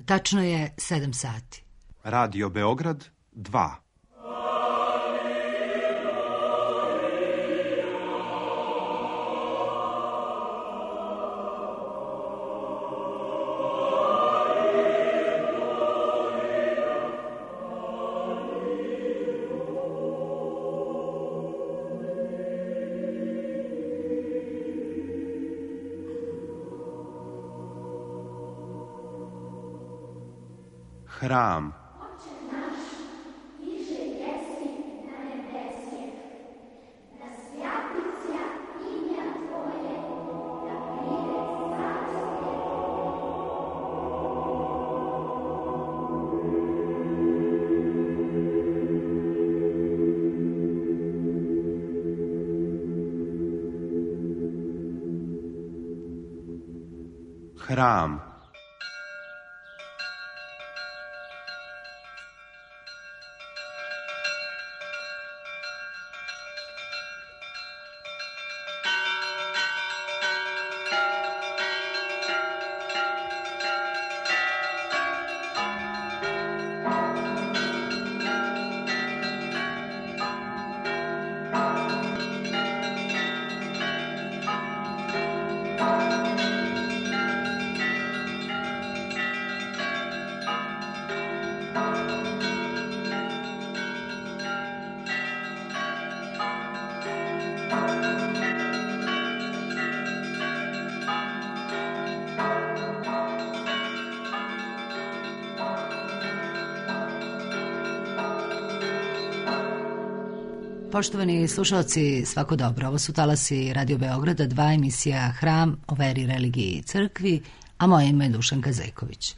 Tačno je 7 sati. Radio Beograd 2. Hram. Hram. Poštovani slušalci, svako dobro. Ovo su talasi Radio Beograda 2, emisija Hram o veri, religiji i crkvi, a moje ime je Dušanka Zejković.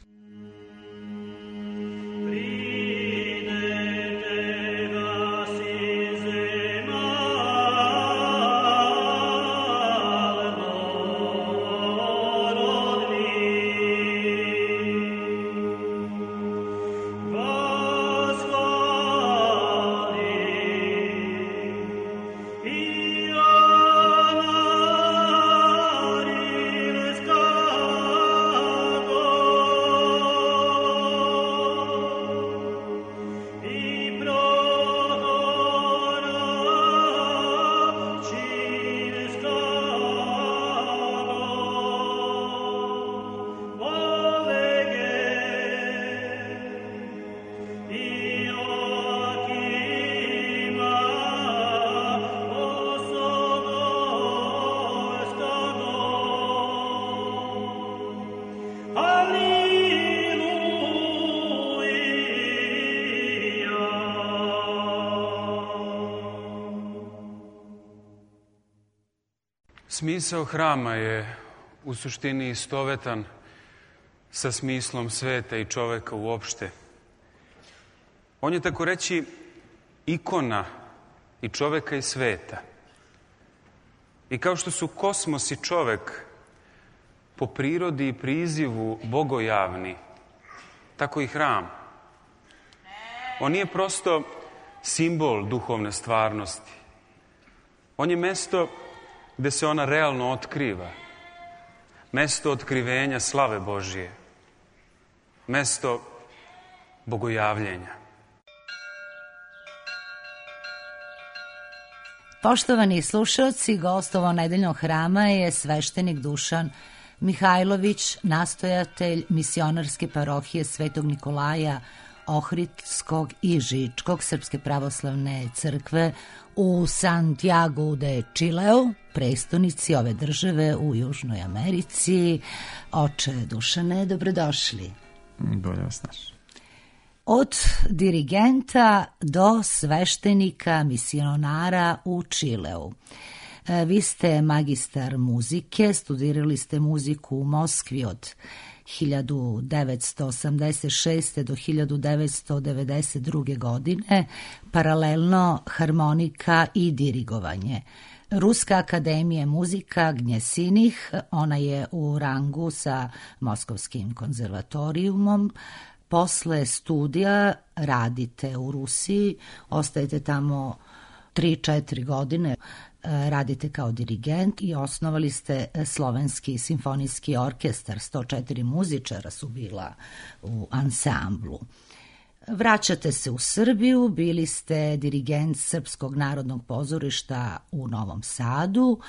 Smisao hrama je u suštini istovetan sa smislom sveta i čoveka uopšte. On je, tako reći, ikona i čoveka i sveta. I kao što su kosmos i čovek po prirodi i prizivu bogojavni, tako i hram. On nije prosto simbol duhovne stvarnosti. On je mesto gde se ona realno otkriva. Mesto otkrivenja slave Božije. Mesto bogojavljenja. Poštovani slušalci, gost ovo nedeljnog hrama je sveštenik Dušan Mihajlović, nastojatelj misionarske parohije Svetog Nikolaja Ohridskog i Žičkog Srpske pravoslavne crkve u Santiago de Chileu, prestonici ove države u Južnoj Americi. Oče Dušane, dobrodošli. Bolje vas naš. Od dirigenta do sveštenika misionara u Čileu. Vi ste magistar muzike, studirali ste muziku u Moskvi od 1986. do 1992. godine, paralelno harmonika i dirigovanje. Ruska akademija muzika Gnjesinih, ona je u rangu sa Moskovskim konzervatorijumom. Posle studija radite u Rusiji, ostajete tamo 3-4 godine. radite kao dirigent i osnovali ste Slovenski simfonijski orkestar, 104 muzičara su bila u ansamblu. Vraćate se u Srbiju, bili ste dirigent Srpskog narodnog pozorišta u Novom Sadu,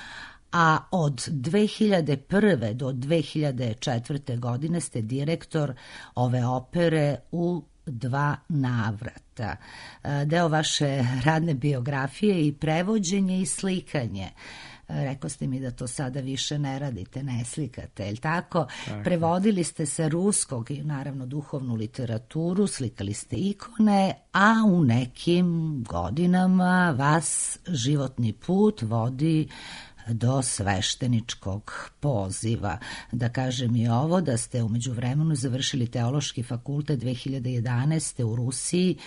a od 2001. do 2004. godine ste direktor ove opere u 2 navrata. Deo vaše radne biografije i prevođenje i slikanje. Rekao ste mi da to sada više ne radite, ne slikate, je li tako? Prevodili ste sa ruskog i naravno duhovnu literaturu, slikali ste ikone, a u nekim godinama vas životni put vodi do svešteničkog poziva. Da kažem i ovo, da ste u međuvremenu završili teološki fakultet 2011. u Rusiji,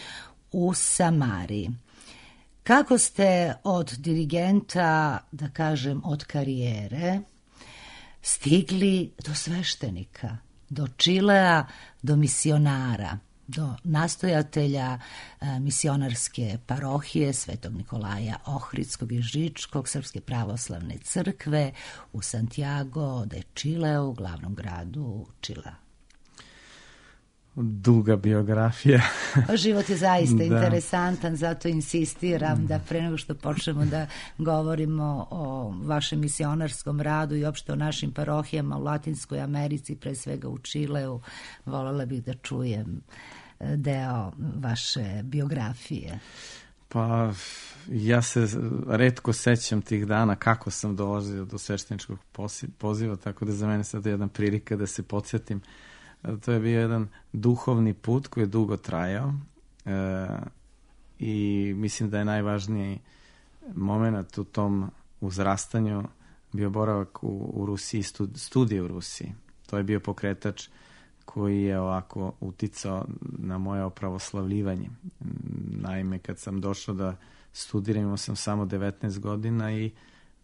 u Samariji. Kako ste od dirigenta, da kažem, od karijere, stigli do sveštenika, do Čilea, do misionara, do nastojatelja misionarske parohije Svetog Nikolaja Ohridskog i Žičkog Srpske pravoslavne crkve u Santiago de Čileu, glavnom gradu Čilea? Duga biografija. Život je zaista interesantan, zato insistiram da pre nego što počnemo da govorimo o vašem misionarskom radu i opšte o našim parohijama u Latinskoj Americi, pre svega u Čileu, voljela bih da čujem deo vaše biografije. Pa ja se retko sećam tih dana kako sam dolazio do svešteničkog poziva, tako da za mene sad je jedna prilika da se podsjetim. To je bio jedan duhovni put koji je dugo trajao i mislim da je najvažniji moment u tom uzrastanju bio boravak u Rusiji, studije u Rusiji. To je bio pokretač koji je ovako uticao na moje opravoslavljivanje. Naime, kad sam došao da studiram, imao sam samo 19 godina i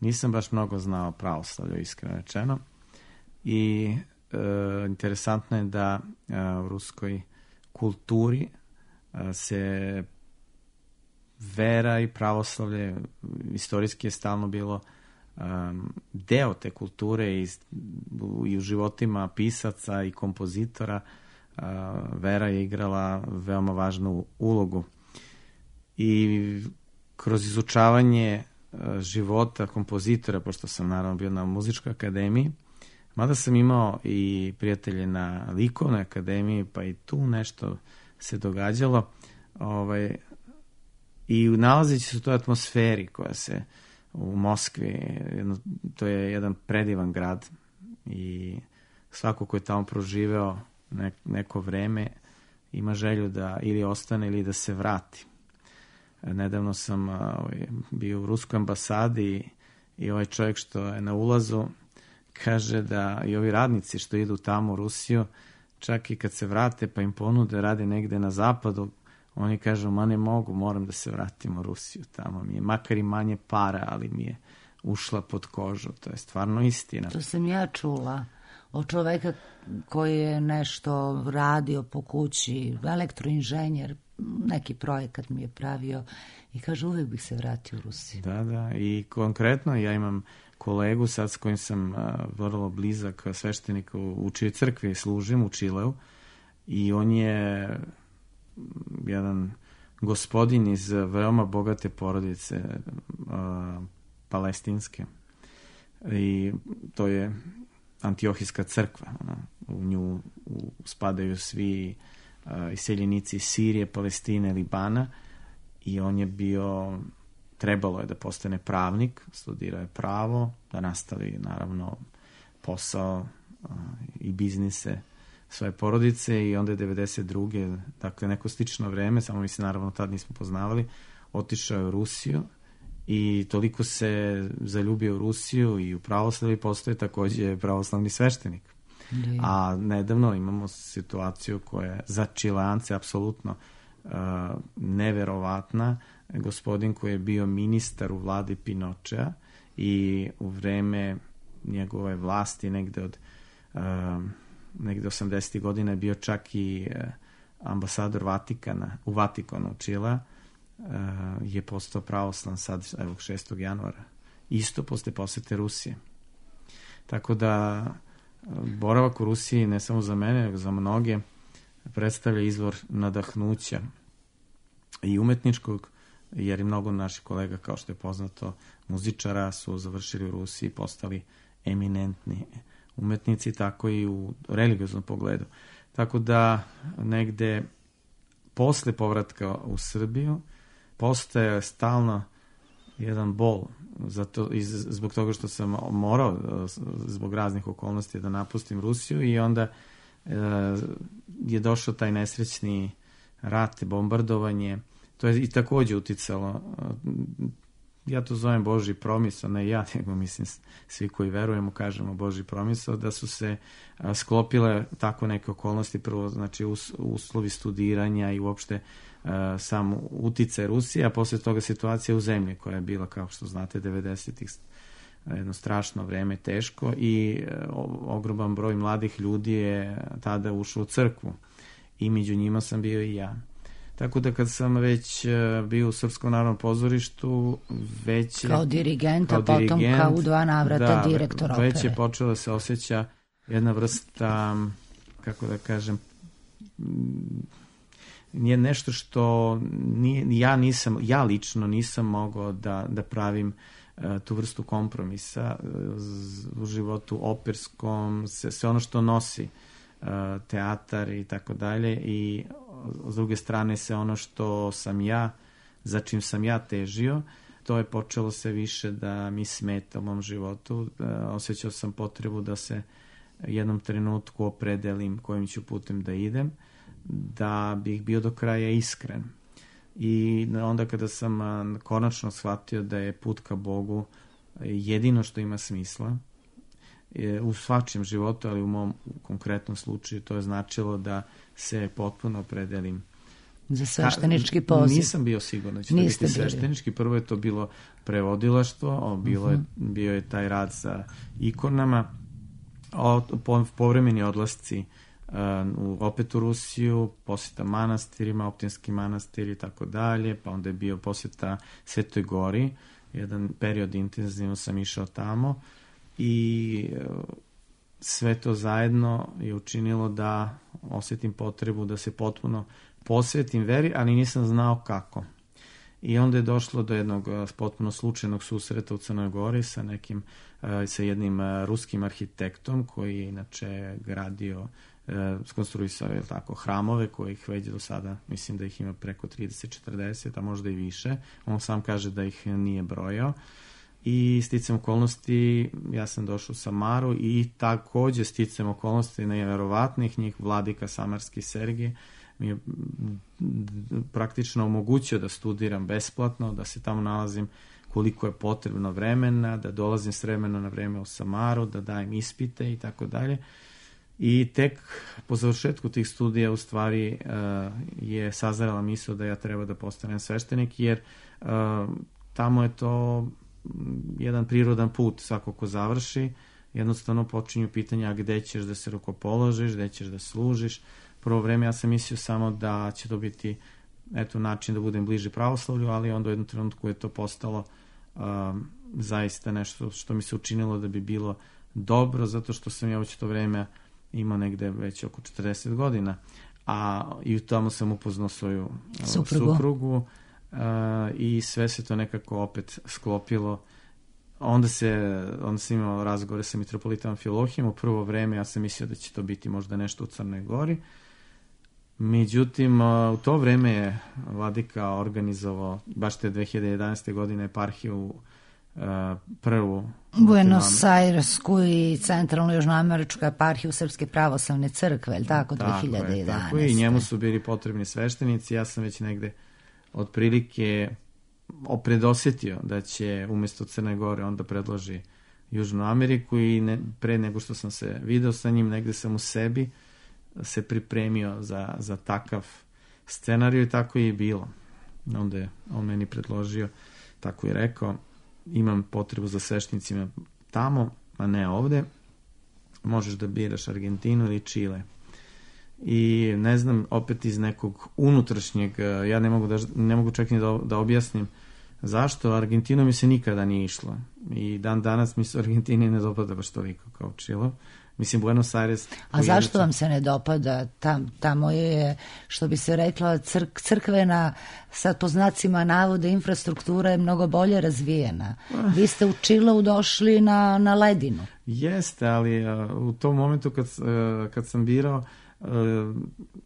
nisam baš mnogo znao pravoslavlje, iskreno rečeno. I interesantno je da u ruskoj kulturi se vera i pravoslavlje istorijski je stalno bilo deo te kulture i u životima pisaca i kompozitora. Vera je igrala veoma važnu ulogu i kroz izučavanje života kompozitora, pošto sam naravno bio na muzičkoj akademiji, mada sam imao i prijatelje na likovnoj akademiji, pa i tu nešto se događalo. I nalazeći se u toj atmosferi koja se u Moskvi, to je jedan predivan grad i svako ko je tamo proživeo neko vreme ima želju da ili ostane ili da se vrati. Nedavno sam bio u ruskoj ambasadi i ovaj čovjek što je na ulazu kaže da i ovi radnici što idu tamo u Rusiju, čak i kad se vrate pa im ponude rade negde na zapadu, oni kažu, ma ne mogu, moram da se vratim u Rusiju, tamo mi je makar i manje para, ali mi je ušla pod kožu, to je stvarno istina. To sam ja čula od čoveka koji je nešto radio po kući, elektroinženjer, neki projekat mi je pravio i kaže, uvek bih se vratio u Rusiju. Da, i konkretno ja imam kolegu sad s kojim sam vrlo blizak sveštenik u čijoj crkvi služim u Čileu i on je jedan gospodin iz veoma bogate porodice palestinske i to je Antiohijska crkva. U nju spadaju svi iseljenici iz Sirije, Palestine, Libana i on je bio, trebalo je da postane pravnik, studirao je pravo, da nastavi naravno posao i biznise svoje porodice i onda je 92. dakle neko slično vreme, samo mi se naravno tad nismo poznavali, otišao je u Rusiju i toliko se zaljubio u Rusiju i u pravoslavlje postoje takođe pravoslavni sveštenik. A nedavno imamo situaciju koja je za Čileance apsolutno neverovatna. Gospodin koji je bio ministar u vladi Pinochea i u vreme njegove vlasti negde od 80. godina je bio čak i ambasador Vatikana u Vatikanu Čilea, je postao pravoslan sad, evo, 6. januara. isto posle posete Rusije. Tako da boravak u Rusiji ne samo za mene, nego za mnoge predstavlja izvor nadahnuća i umetničkog, jer i mnogo naših kolega, kao što je poznato, muzičara su završili u Rusiji, postali eminentni umetnici, tako i u religioznom pogledu. Tako da negde posle povratka u Srbiju postaje stalno jedan bol zbog toga što sam morao zbog raznih okolnosti da napustim Rusiju i onda je došao taj nesrećni rat, bombardovanje. To je i takođe uticalo, ja to zovem Božji promisao, ne ja, nego mislim svi koji verujemo kažemo Božji promisao, da su se sklopile tako neke okolnosti, prvo znači uslovi studiranja i uopšte sam uticaj Rusije, a posle toga situacija u zemlji koja je bila, kao što znate, 90-ih jedno strašno vreme, teško, i ogroman broj mladih ljudi je tada ušao u crkvu i među njima sam bio i ja. Tako da kad sam već bio u Srpskom narodnom pozorištu, već kao dirigent, a potom kao u 2 navrata direktor opere. Već je počela da se osjeća jedna vrsta, kako da kažem, nije nešto što ja lično nisam mogao da pravim tu vrstu kompromisa u životu operskom, sve ono što nosi teatar i tako dalje, i s druge strane se ono što sam ja, za čim sam ja težio, to je počelo se više da mi smeta u mom životu. Osjećao sam potrebu da se jednom trenutku opredelim kojim ću putem da idem, da bih bio do kraja iskren. I onda kada sam konačno shvatio da je put ka Bogu jedino što ima smisla u svačem životu, ali u mom konkretnom slučaju to je značilo da se potpuno opredelim za sveštenički poziv. Nisam bio siguran da će to biti sveštenički. Prvo je to bilo prevodilaštvo, bio je taj rad sa ikonama, povremeni odlasci opet u Rusiju, posjeta manastirima, Optinski manastir i tako dalje, pa onda je bio posjeta Svetoj Gori, jedan period intenzivno sam išao tamo i sve to zajedno je učinilo da osjetim potrebu da se potpuno posvetim veri, ali nisam znao kako. I onda je došlo do jednog potpuno slučajnog susreta u Crnoj Gori sa jednim ruskim arhitektom koji je inače gradio, skonstruisao je tako hramove kojih već do sada, mislim da ih ima preko 30-40, a možda i više. On sam kaže da ih nije brojao. I sticam okolnosti, ja sam došao u Samaru i takođe sticam okolnosti nevjerovatnih njih, vladika Samarski Sergij mi je praktično omogućio da studiram besplatno, da se tamo nalazim koliko je potrebno vremena, da dolazim s vremena na vreme u Samaru, da dajem ispite i tako dalje. I tek po završetku tih studija u stvari je sazrela misao da ja treba da postanem sveštenik, jer tamo je to jedan prirodan put, svako ko završi, jednostavno počinju pitanja gde ćeš da se rukopoložiš, gde ćeš da služiš. Prvo vreme ja sam mislio samo da će to biti način da budem bliži pravoslavlju, ali onda u jednom trenutku je to postalo zaista nešto što mi se učinilo da bi bilo dobro, zato što sam ja već to vreme imao negde već oko 40 godina, a i tamo sam upoznao svoju suprugu i sve se to nekako opet sklopilo. Onda sam imao razgovore sa mitropolitom Amfilohijom. U prvo vreme ja sam mislio da će to biti možda nešto u Crnoj Gori. Međutim, u to vreme je vladika organizovao baš te 2011. godine eparhiju prvu Buenos Airesku i centralnu južnoameričku eparhiju Srpske pravoslavne crkve, je li tako, 2011. Tako i njemu su bili potrebni sveštenici. Ja sam već negde otprilike predosjetio da će umjesto Crne Gore onda predloži Južnu Ameriku i pre nego što sam se video sa njim, negde sam u sebi se pripremio za takav scenariju i tako je i bilo. Onda je on meni predložio, tako je rekao, imam potrebu za sveštenicima tamo, a ne ovde, možeš da biraš Argentinu ili Čile. I ne znam, opet iz nekog unutrašnjeg, ja ne mogu čak ni da objasnim Zašto? Argentinu mi se nikada nije išlo. I dan danas mi se u Argentini ne dopada baš toliko kao Čilov. Mislim, Buenos Aires... A zašto vam se ne dopada? Tamo je, što bi se rekla, crkvena, sad po znacima navode, infrastruktura je mnogo bolje razvijena. Vi ste u Čilovu došli na ledinu. Jeste, ali u tom momentu kad sam birao,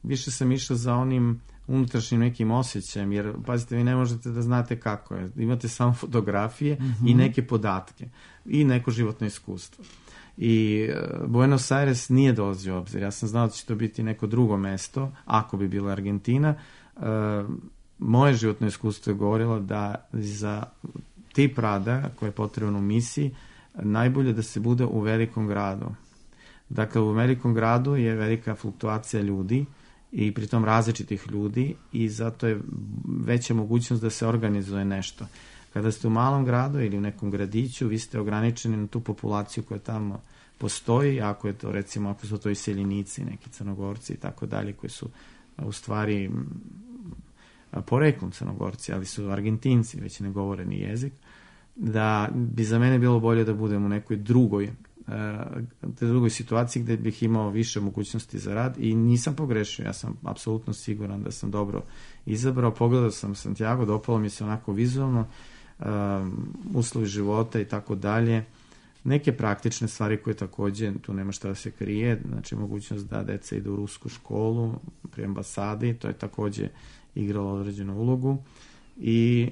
više sam išao za onim unutrašnjim nekim osjećajem, jer pazite, vi ne možete da znate kako je. Imate samo fotografije i neke podatke i neko životno iskustvo. I Buenos Aires nije dolazio u obzir. Ja sam znao da će to biti neko drugo mesto, ako bi bila Argentina. Moje životno iskustvo je govorilo da za tip rada koje je potrebno u misiji, najbolje da se bude u velikom gradu. Dakle, u velikom gradu je velika fluktuacija ljudi i pritom različitih ljudi i zato je veća mogućnost da se organizuje nešto. Kada ste u malom gradu ili u nekom gradiću, vi ste ograničeni na tu populaciju koja tamo postoji, ako je to, recimo, ako su to iseljenici, neki Crnogorci i tako dalje, koji su u stvari poreklom Crnogorci, ali su Argentinci, već ne govore ni jezik, da bi za mene bilo bolje da budem u nekoj drugoj situaciji gde bih imao više mogućnosti za rad i nisam pogrešio, ja sam apsolutno siguran da sam dobro izabrao. Pogledao sam Santiago, dopalo mi se onako vizualno, uslovi života i tako dalje, neke praktične stvari koje takođe, tu nema šta da se krije, znači mogućnost da deca idu u rusku školu pri ambasadi, to je takođe igralo određenu ulogu i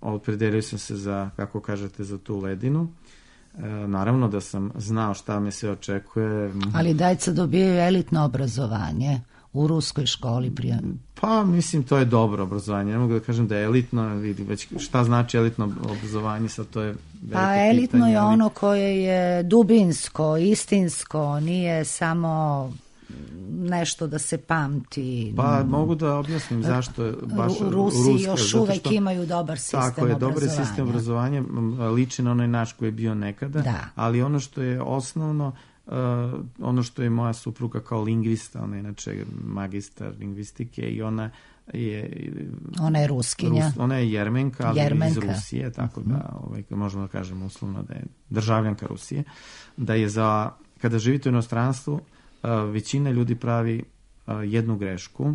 opredelio sam se za, kako kažete, za tu ledinu. Naravno da sam znao šta me se očekuje. Ali deca dobijaju elitno obrazovanje u ruskoj školi prije. Pa mislim, to je dobro obrazovanje, ne mogu da kažem da je elitno, vidi već šta znači elitno obrazovanje, sad to je veliko pitanje. Pa elitno je ono koje je dubinsko, istinsko, nije samo nešto da se pamti. Pa mogu da objasnim zašto je baš Rusi još uvek imaju dobar sistem obrazovanja. Tako je, dobar sistem obrazovanja, liči na onaj naš koji je bio nekada, ali ono što je osnovno, ono što je moja supruga kao lingvista, ona je inače magistar lingvistike i ona je ruskinja. Ona je Jermenka, ali iz Rusije, tako da možemo da kažemo uslovno da je državljanka Rusije, da je kada živite u inostranstvu, većina ljudi pravi jednu grešku.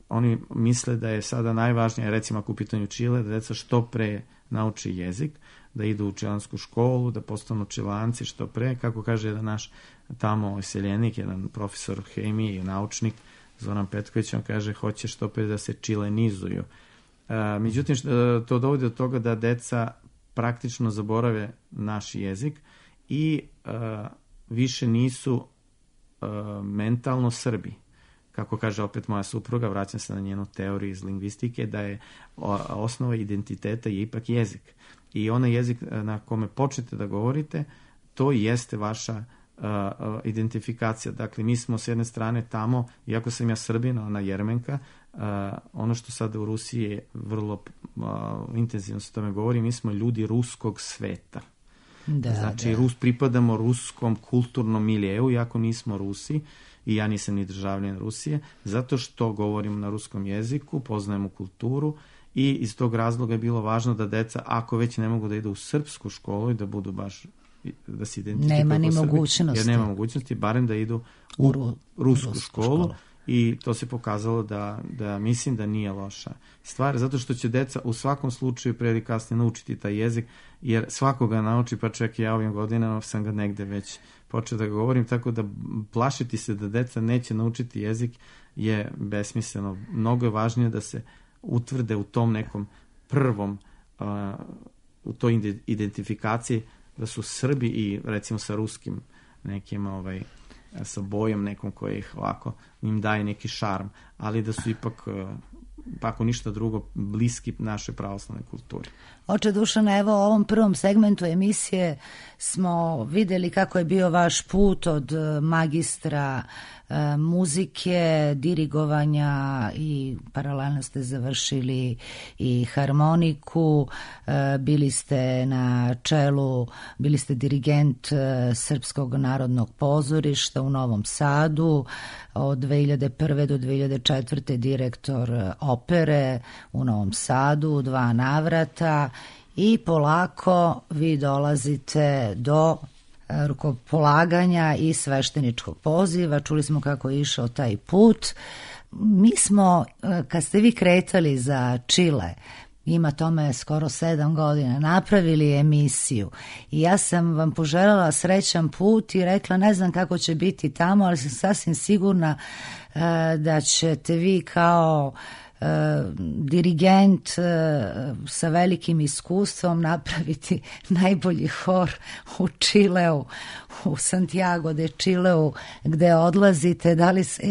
Oni misle da je sada najvažnije, recimo ako u pitanju Čile, da deca što pre nauči jezik, da idu u čilansku školu, da postanu čilanci što pre. Kako kaže jedan naš tamo iseljenik, jedan profesor hemije i naučnik, Zoran Petković, on kaže hoće što pre da se čilenizuju. Međutim, to dovodi do toga da deca praktično zaborave naš jezik i više nisu mentalno Srbi. Kako kaže opet moja supruga, vraćam se na njenu teoriju iz lingvistike, da je osnova identiteta je ipak jezik. I onaj jezik na kome počnete da govorite, to jeste vaša identifikacija. Dakle, mi smo s jedne strane tamo, iako sam ja Srbin, ona Jermenka, ono što sada u Rusiji je vrlo intenzivno se tome govori, mi smo ljudi ruskog sveta. Znači, pripadamo ruskom kulturnom miljeu, iako nismo Rusi, i ja nisam ni državljan Rusije, zato što govorim na ruskom jeziku, poznajemo kulturu i iz tog razloga je bilo važno da deca, ako već ne mogu da idu u srpsku školu i da budu baš, da se identifikuju nema ni mogućnosti. Jer nema mogućnosti, barem da idu u rusku školu. I to se pokazalo da mislim da nije loša stvar, zato što će deca u svakom slučaju pre ili kasnije naučiti taj jezik, jer svakoga nauči, pa čak i ja ovim godinama sam ga negde već počeo da govorim, tako da plašiti se da deca neće naučiti jezik je besmisleno. Mnogo je važnije da se utvrde u tom nekom prvom, u toj identifikaciji da su Srbi i recimo sa ruskim nekim sa bojom nekom koji ih ovako im daje neki šarm, ali da su ipak, pa ako ništa drugo, bliski našoj pravoslavnoj kulturi. Oče Dušane, evo u ovom prvom segmentu emisije smo videli kako je bio vaš put od magistra muzike, dirigovanja i paralelno ste završili i harmoniku, bili ste na čelu, bili ste dirigent Srpskog narodnog pozorišta u Novom Sadu, od 2001. do 2004. direktor opere u Novom Sadu u 2 navrata i polako vi dolazite do rukopolaganja i svešteničkog poziva. Čuli smo kako je išao taj put. Mi smo, kad ste vi kretali za Čile, ima tome skoro 7 godina, napravili emisiju i ja sam vam poželjela srećan put i rekla ne znam kako će biti tamo, ali sam sasvim sigurna da ćete vi kao dirigent sa velikim iskustvom napraviti najbolji hor u Čileu, u Santiago de Čileu gde odlazite.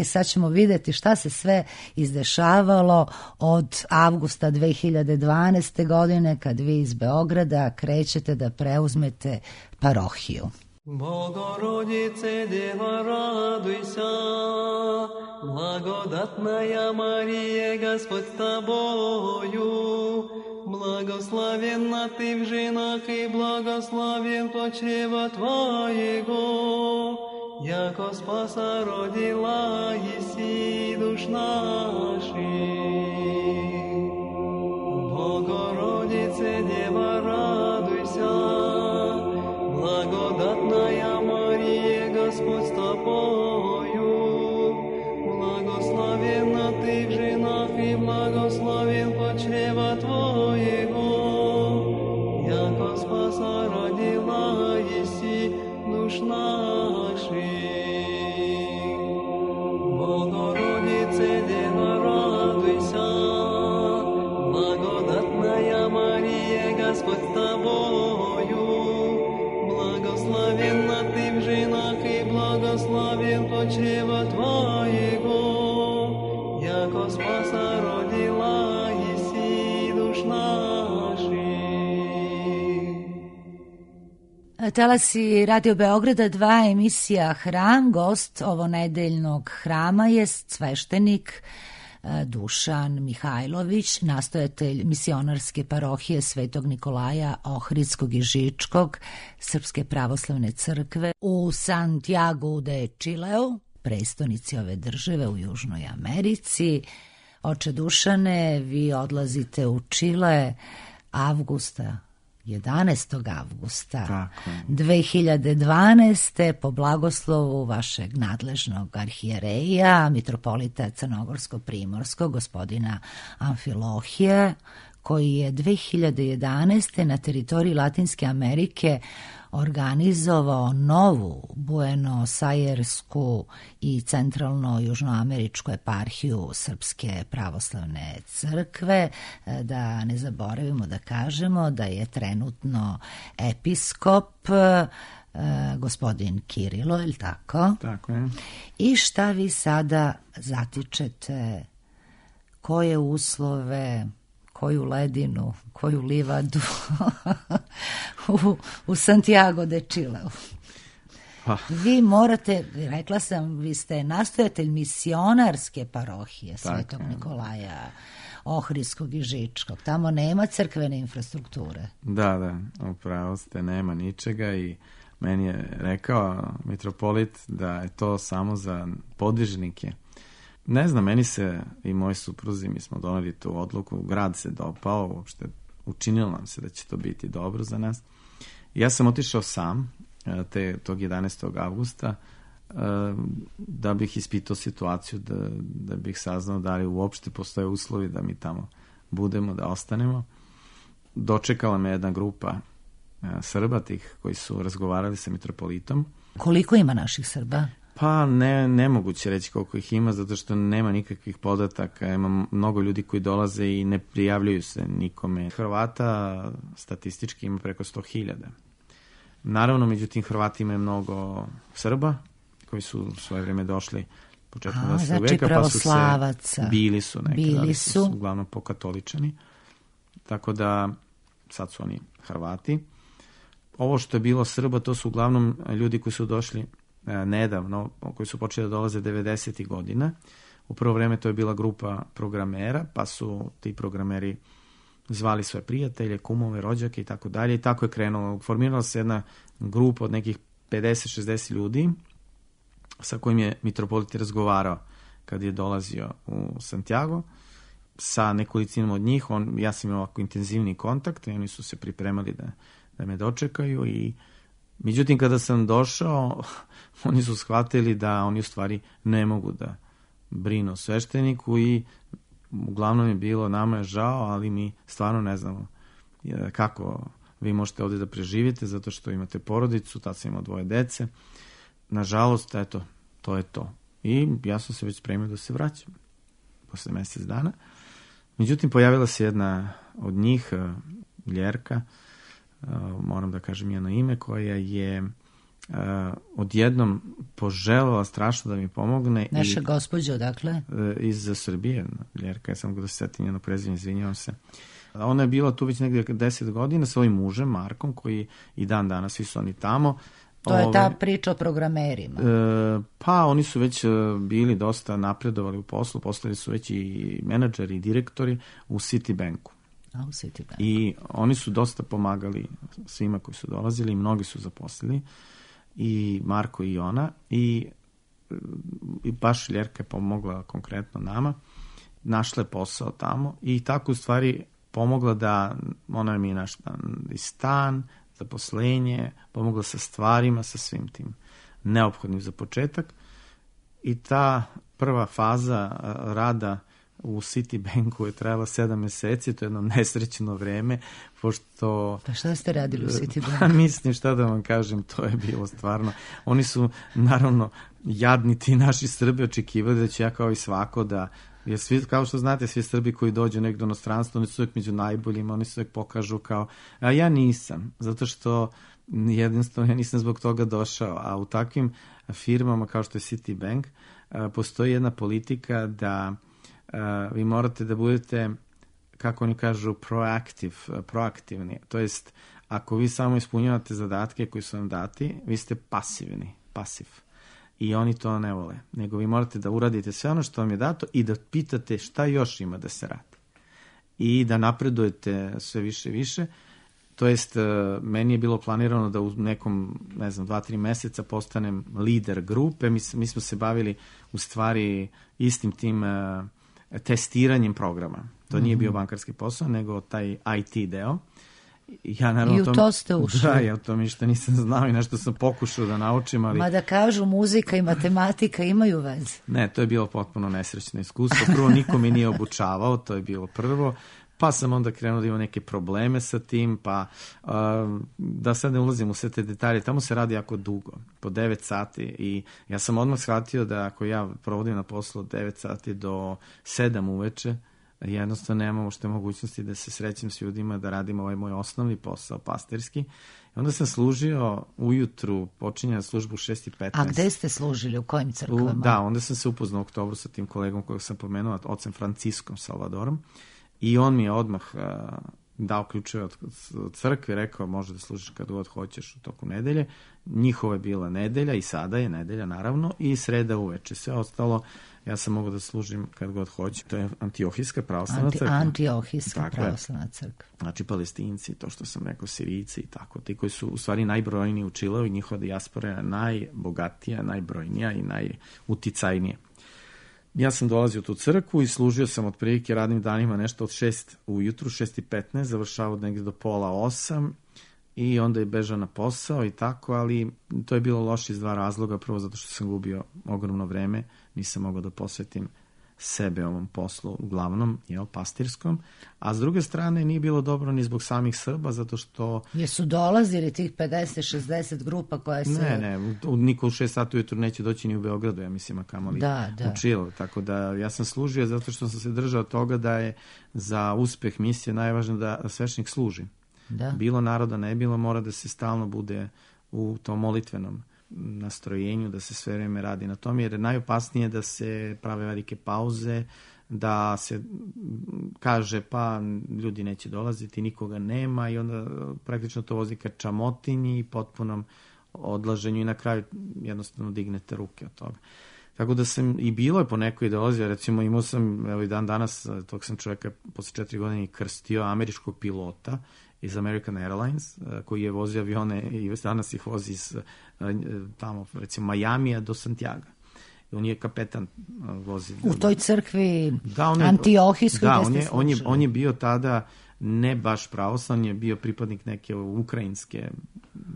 Sad ćemo vidjeti šta se sve izdešavalo od avgusta 2012. godine kad vi iz Beograda krećete da preuzmete parohiju. Bogorodice, Deva, raduj se, blagodatная Мария, Господь с тобою, благословенна ты в женах и благословен плод чрева твоего, яко спаса родила еси душ наших. Богородице, Дева, радуйся, благодатная Мария, Господь с тобою, благословенна ты в женах и благословен плод чрева твоего, яко спаса родила еси душ наших. Богородице, Дева, радуйся, благодатная Мария, Господь с тобою, благословенна ты в женах и благословен плод чрева твоего, яко спаса родила еси душ наших. Talasi Radio Beograda 2, emisija Hram. Gost ovonedeljnog hrama je sveštenik Dušan Mihajlović, nastojatelj misionarske parohije Svetog Nikolaja Ohridskog i Žičkog Srpske pravoslavne crkve u Santiago de Čileu, prestonici ove države u Južnoj Americi. Oče Dušane, vi odlazite u Čile avgusta, 11. avgusta 2012. po blagoslovu vašeg nadležnog arhijereja, mitropolita Crnogorsko-Primorskog, gospodina Amfilohije, koji je 2011. na teritoriji Latinske Amerike organizovao novu Buenosajersku i centralno-južnoameričku eparhiju Srpske pravoslavne crkve. Da ne zaboravimo da kažemo da je trenutno episkop gospodin Kirilo, je li tako? Tako je. I šta vi sada zatičete, koje uslove, koju ledinu, koju livadu u Santiago de Čileu? Vi morate, rekla sam, vi ste nastojatelj misionarske parohije Svetog Nikolaja Ohridskog i Žičkog. Tamo nema crkvene infrastrukture. Da, upravo ste, nema ničega i meni je rekao mitropolit da je to samo za podvižnike. Ne znam, meni se i moji supruzi, mi smo doneli tu odluku, grad se dopao, uopšte učinilo nam se da će to biti dobro za nas. Ja sam otišao sam tog 11. avgusta da bih ispitao situaciju, da bih saznao da li uopšte postoje uslovi da mi tamo budemo, da ostanemo. Dočekala me jedna grupa Srba, tih koji su razgovarali sa mitropolitom. Koliko ima naših Srba? Pa nemoguće reći koliko ih ima, zato što nema nikakvih podataka, ima mnogo ljudi koji dolaze i ne prijavljuju se nikome. Hrvata statistički ima preko 100.000. Naravno, međutim, Hrvati imaju mnogo Srba, koji su svoje vreme došli početkom 20. znači veka, pravoslavaca. Bili su neki, ali su su uglavnom pokatoličani. Tako da, sad su oni Hrvati. Ovo što je bilo Srba, to su uglavnom ljudi koji su došli nedavno, koji su počeli da dolaze 90. godina. U prvo vreme to je bila grupa programera, pa su ti programeri zvali svoje prijatelje, kumove, rođake i tako dalje. I tako je krenulo. Formirala se jedna grupa od nekih 50-60 ljudi sa kojim je mitropolit razgovarao kad je dolazio u Santiago. Sa nekolicinom od njih, ja sam imao ovako intenzivni kontakt i oni su se pripremali da me dočekaju i međutim kada sam došao oni su shvatili da oni u stvari ne mogu da brinu o svešteniku i uglavnom je bilo, nama je žao, ali mi stvarno ne znamo kako vi možete ovdje da preživite zato što imate porodicu, tad sam imao 2 dece. Nažalost, eto, to je to. I ja sam se već spremio da se vraćam posle mjesec dana. Međutim, pojavila se jedna od njih, Ljerka, moram da kažem njeno ime, koja je odjednom poželjela strašno da mi pomogne. Naša gospođa, odakle? Iz Srbije, Ljerka, ja sam da se setim njeno prezime, izvinjavam se. Ona je bila tu već negdje 10 godina sa ovim mužem, Markom, koji i dan danas, svi su oni tamo. To je ta priča o programerima. Pa oni su već bili dosta napredovali u poslu, postali su već i menadžeri i direktori u Citibanku. U Citibanku. I oni su dosta pomagali svima koji su dolazili i mnogi su zaposlili. I Marko i ona. I baš Ljerka je pomogla konkretno nama. Našla je posao tamo i tako u stvari pomogla da ona mi je našla i stan, zaposlenje, pomogla sa stvarima, sa svim tim neophodnim za početak. I ta prva faza rada u Citibanku je trajala 7 mjeseci, to je jedno nesrećno vreme, pošto... Pa šta ste radili u Citibanku? Pa mislim, šta da vam kažem, to je bilo stvarno... Oni su, naravno, jadni ti naši Srbi očekivali da ću ja kao i svako da... Jer svi, kao što znate, svi Srbi koji dođu negdje u inostranstvo, oni su uvijek među najboljima, oni se uvijek pokažu kao... A ja nisam, zato što jednostavno ja nisam zbog toga došao. A u takvim firmama kao što je Citibank postoji jedna politika da vi morate da budete, kako oni kažu, proaktivni. To jest, ako vi samo ispunjavate zadatke koji su vam dati, vi ste pasiv. I oni to ne vole. Nego vi morate da uradite sve ono što vam je dato i da pitate šta još ima da se radi. I da napredujete sve više i više. To jest, meni je bilo planirano da u nekom, 2-3 mjeseca postanem lider grupe. Mi smo se bavili u stvari istim tim testiranjem programa. To nije bio bankarski posao, nego taj IT deo. Ja, naravno, i u to ste ušli. Da, ja o tom ništa nisam znao i nešto sam pokušao da naučim, ali... Ma da kažu, muzika i matematika imaju veze. Ne, to je bilo potpuno nesrećno iskustvo. Prvo, niko mi nije obučavao, to je bilo prvo. Pa sam onda krenuo da imam neke probleme sa tim, pa da sad ne ulazim u sve te detalje, tamo se radi jako dugo, po 9 sati i ja sam odmah shvatio da ako ja provodim na poslu od 9 sati do 7 uveče, jednostavno nemam uopšte mogućnosti da se srećem s ljudima, da radim ovaj moj osnovni posao, pastirski. I onda sam služio ujutru, počinjao službu u 6:15. A gde ste služili, u kojim crkvama? Da, onda sam se upoznao u oktobru sa tim kolegom kojeg sam pomenuo, ocem Franciskom Salvadorom. I on mi je odmah dao ključeve od crkve, rekao može da služiš kad god hoćeš u toku nedelje. Njihova je bila nedelja i sada je nedelja naravno i sreda uveče. Sve ostalo ja sam mogao da služim kad god hoću. To je Antiohijska pravoslavna crkva. Antiohijska pravoslavna crkva. Znači Palestinci, to što sam rekao, Sirijci i tako. Ti koji su u stvari najbrojniji u Čileu i njihova dijaspora je najbogatija, najbrojnija i najuticajnija. Ja sam dolazio u tu crkvu i služio sam otprilike radnim danima nešto od 6 ujutru, 6:15, završavao negdje do 7:30 i onda je bežao na posao i tako, ali to je bilo loše iz 2 razloga. Prvo zato što sam gubio ogromno vreme, nisam mogao da posvetim sebe ovom poslu, uglavnom, pastirskom, a s druge strane nije bilo dobro ni zbog samih Srba, zato što... Jesu dolazili tih 50-60 grupa koje se... Ne, niko u 6 sati ujutru neće doći ni u Beogradu, ja mislim, a kamoli u Čilu. Tako da ja sam služio zato što sam se držao toga da je za uspeh misije najvažnije da sveštenik služi. Da. Bilo naroda, ne bilo, mora da se stalno bude u tom molitvenom nastrojenju, da se sve vreme radi na tom, jer je najopasnije da se prave velike pauze, da se kaže pa ljudi neće dolaziti, nikoga nema i onda praktično to vozi ka čamotinji i potpunom odlaženju i na kraju jednostavno dignete ruke od toga. Tako da sam, i bilo je po nekoj ideologiji, recimo imao sam, evo i dan danas, tog sam čovjeka posle 4 godine krstio, američkog pilota iz American Airlines, koji je vozio avione i danas ih vozi iz tamo, recimo, Majamija do Santiaga. On je kapetan vozi. U toj crkvi Antiohijskoj gde ste služili. On je bio tada ne baš pravoslavni, je bio pripadnik neke ukrajinske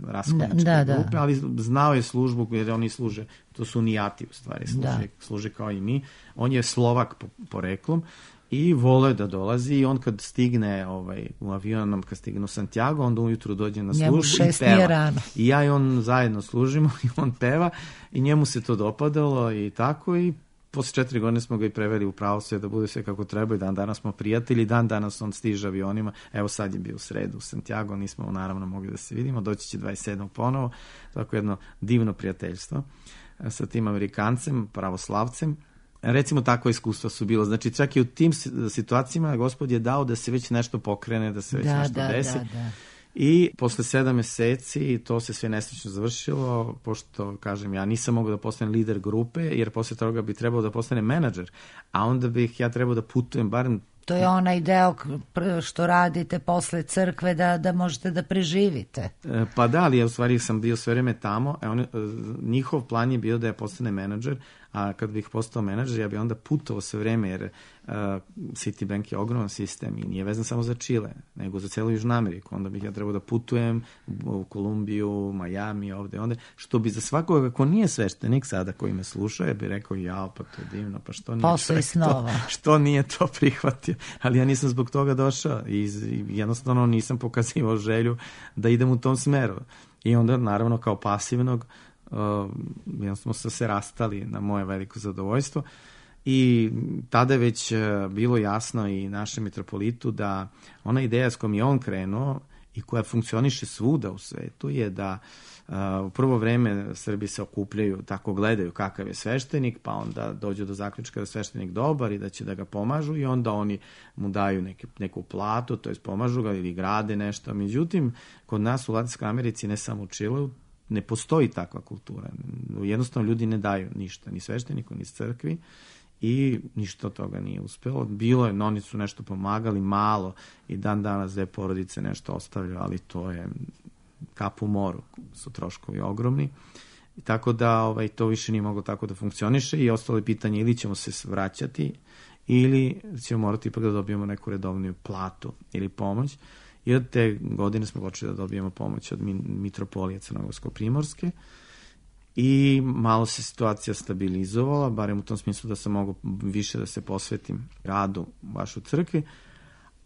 raskolničke grupe, ali znao je službu jer oni služe, to su unijati u stvari, služe kao i mi. On je Slovak poreklom i voleo da dolazi i on kad stigne u avionom, kad stigne u Santiago, onda ujutru dođe na službu i peva. I ja i on zajedno služimo i on peva i njemu se to dopadalo i tako, i posle 4 godine smo ga i preveli u pravoslavlje da bude sve kako treba i dan danas smo prijatelji, dan danas on stiže avionima, evo sad je bio u sredu u Santiago, nismo naravno mogli da se vidimo, doći će 27. ponovo, tako jedno divno prijateljstvo sa tim Amerikancem, pravoslavcem. Recimo, takva iskustva su bilo. Znači, čak i u tim situacijama Gospod je dao da se već nešto pokrene, da se već nešto desi. I posle 7 meseci to se sve nesrećno završilo, pošto, kažem, ja nisam mogao da postanem lider grupe, jer posle toga bi trebao da postanem menadžer, a onda bih ja trebao da putujem barem... To je onaj deo što radite posle crkve da možete da preživite. Pa da, ali ja u stvari sam bio sve vreme tamo, njihov plan je bio da ja postane menadžer, a kad bih postao menadžer, ja bih onda putovao sve vreme, jer Citibank je ogroman sistem i nije vezan samo za Čile, nego za celu Južnu Ameriku. Onda bih ja trebao da putujem u Kolumbiju, Majami, ovde, onda, što bi za svakoga ko nije sveštenik sada koji me sluša, ja bih rekao, pa to je divno, pa što nije to prihvatio. Ali ja nisam zbog toga došao i jednostavno nisam pokazivao želju da idem u tom smeru. I onda, naravno, kao pasivnog, jednostavno smo se rastali na moje veliko zadovoljstvo i tada je već bilo jasno i našem mitropolitu da ona ideja s kojom je on krenuo i koja funkcioniše svuda u svetu je da u prvo vreme Srbi se okupljaju, tako gledaju kakav je sveštenik, pa onda dođu do zaključka da je sveštenik dobar i da će da ga pomažu i onda oni mu daju neku platu, to jest pomažu ga ili grade nešto. Međutim, kod nas u Latinskoj Americi, ne samo u Čileu, ne postoji takva kultura. Jednostavno ljudi ne daju ništa, ni svešteniku, ni crkvi, i ništa od toga nije uspelo. Bilo je, oni su nešto pomagali, malo, i dan danas 2 porodice nešto ostavljaju, ali to je kap u moru, su troškovi ogromni. I tako da to više nije moglo tako da funkcioniše i ostalo je pitanje ili ćemo se vraćati ili ćemo morati ipak da dobijemo neku redovniju platu ili pomoć. I od te godine smo počeli da dobijemo pomoć od mitropolije Crnogorsko-Primorske i malo se situacija stabilizovala, barem u tom smislu da sam mogao više da se posvetim radu baš u crkvi,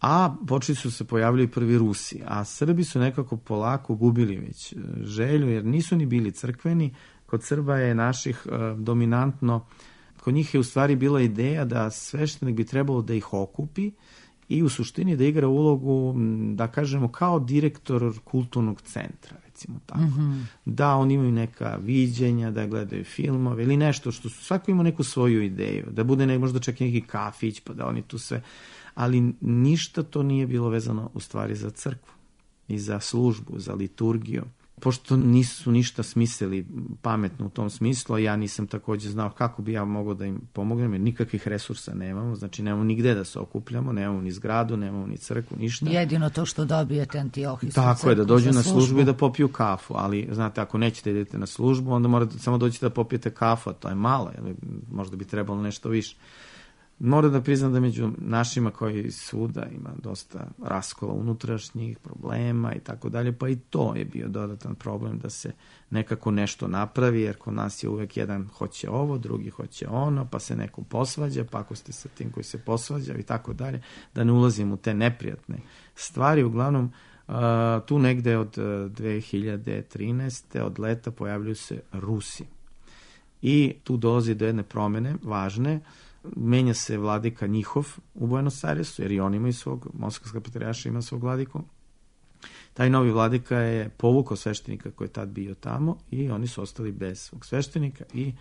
a počeli su se pojavljati prvi Rusi, a Srbi su nekako polako gubili već želju, jer nisu ni bili crkveni. Kod Srba je naših dominantno, kod njih je u stvari bila ideja da sveštenik bi trebalo da ih okupi i u suštini da igra ulogu, da kažemo, kao direktor kulturnog centra, recimo tako. Mm-hmm. Da oni imaju neka viđenja, da gledaju filmove ili nešto što svako ima neku svoju ideju, da bude možda čak neki kafić, pa da oni tu sve, ali ništa to nije bilo vezano u stvari za crkvu i za službu, za liturgiju. Pošto nisu ništa smislili pametno u tom smislu, a ja nisam također znao kako bi ja mogao da im pomognem, jer nikakvih resursa nemamo, znači nemamo nigde da se okupljamo, nemamo ni zgradu, nemamo ni crkvu, ništa. Jedino to što dobijete Antiohijsku crkvu. Tako je, da dođu na službu i da popiju kafu, ali znate, ako nećete idete na službu, onda morate samo doći da popijete kafu, a to je malo, možda bi trebalo nešto više. Moram da priznam da među našima koji svuda ima dosta raskola unutrašnjih problema i tako dalje, pa i to je bio dodatan problem da se nekako nešto napravi, jer kod nas je uvek jedan hoće ovo, drugi hoće ono, pa se neko posvađa, pa ako ste sa tim koji se posvađa i tako dalje, da ne ulazim u te neprijatne stvari. Uglavnom, tu negde od 2013. od leta pojavljuju se Rusi. I tu dolazi do jedne promene važne. Menja se vladika njihov u Buenos Airesu, jer i oni imaju svog, Moskovska patrijaršija ima svog vladiku. Taj novi vladika je povukao sveštenika koji je tad bio tamo i oni su ostali bez svog sveštenika i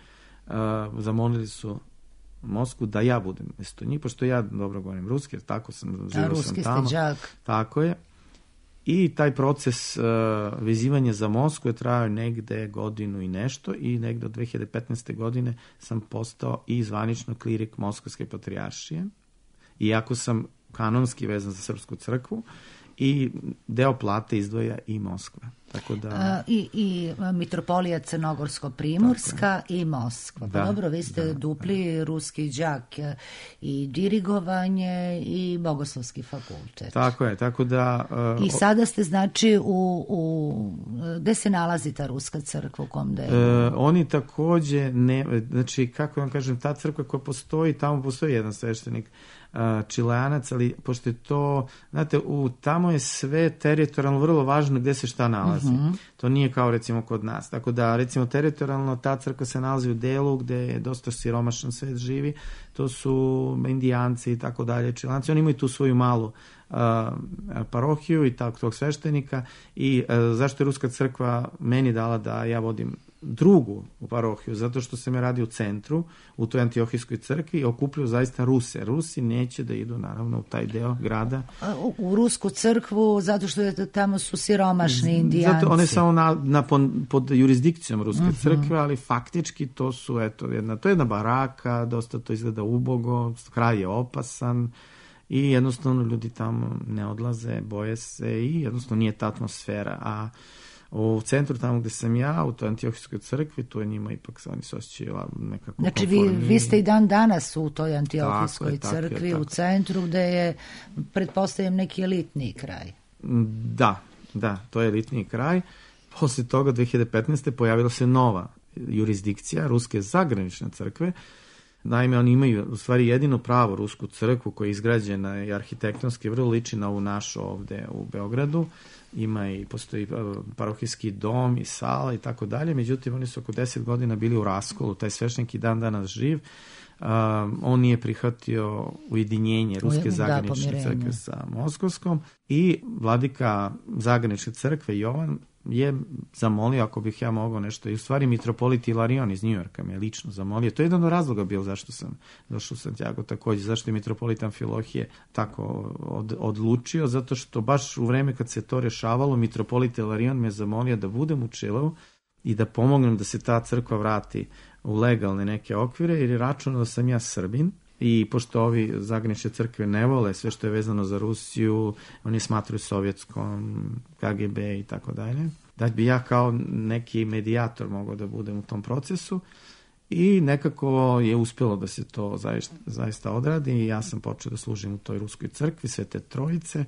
zamolili su Moskvu da ja budem mjesto njih, pošto ja dobro govorim ruski, jer tako sam živio sam tamo. Ruski ste đak. Tako je. I taj proces vezivanja za Moskvu je trajao negde godinu i nešto i negde od 2015. godine sam postao i zvanično klirik Moskovske patrijaršije, iako sam kanonski vezan za Srpsku crkvu i deo plate izdvaja i Moskva. Tako da... I mitropolija Crnogorsko-Primorska i Moskva. Pa dobro, vi ste dupli ruski đak i dirigovanje i bogoslovski fakultet. Tako je, tako da... I sada ste, znači, gde se nalazi ta ruska crkva, u kom delu? Oni takođe, znači, kako vam kažem, ta crkva koja postoji, tamo postoji jedan sveštenik, Čileanac, ali pošto je to, znate, tamo je sve teritorijalno vrlo važno gde se šta nalazi. To nije kao recimo kod nas. Tako da recimo teritorijalno ta crkva se nalazi u delu gde je dosta siromašan svet živi. To su Indijanci i tako dalje, Čileanci. Oni imaju tu svoju malu parohiju i tog sveštenika i zašto je Ruska crkva meni dala da ja vodim drugu parohiju, zato što se me radi u centru, u toj Antiohijskoj crkvi i okupljaju zaista Ruse. Rusi neće da idu naravno u taj deo grada. U Rusku crkvu, zato što tamo su siromašni Indijanci. Zato one samo pod jurisdikcijom Ruske crkve, ali faktički to su, eto, to je jedna baraka, dosta to izgleda ubogo, kraj je opasan i jednostavno ljudi tamo ne odlaze, boje se i jednostavno nije ta atmosfera, a u centru, tamo gde sam ja, u toj Antiohijskoj crkvi, tu je njima ipak oni se osjećaju nekako znači, konformniji. vi ste i dan danas u toj Antiohijskoj crkvi, u centru, gde je, pretpostavljam, neki elitni kraj. Da, to je elitni kraj. Posle toga, 2015. pojavila se nova jurisdikcija Ruske zagranične crkve. Naime, oni imaju u stvari jedino pravo Rusku crkvu koja je izgrađena i arhitektonski vrlo liči na ovu našu ovde u Beogradu. Postoji parohijski dom i sala i tako dalje, međutim oni su oko 10 godina bili u raskolu, taj sveštenik i dan danas živ. On nije prihvatio ujedinjenje Ruske zagranične crkve sa Moskovskom i vladika zagranične crkve Jovan je zamolio ako bih ja mogao nešto, i u stvari mitropolit Ilarion iz Njujorka me lično zamolio. To je jedan od razloga bio zašto sam došao u Santiago takođe, zašto je mitropolit Amfilohije tako odlučio, zato što baš u vreme kad se to rešavalo, mitropolit Ilarion me zamolio da budem u Čileu i da pomognem da se ta crkva vrati u legalne neke okvire, jer je računao da sam ja Srbin. I pošto ovi zagranične crkve ne vole sve što je vezano za Rusiju, oni smatruju sovjetskom, KGB i tako dalje, da bi ja kao neki medijator mogao da budem u tom procesu i nekako je uspjelo da se to zaista odradi i ja sam počeo da služim u toj Ruskoj crkvi Svete Trojice.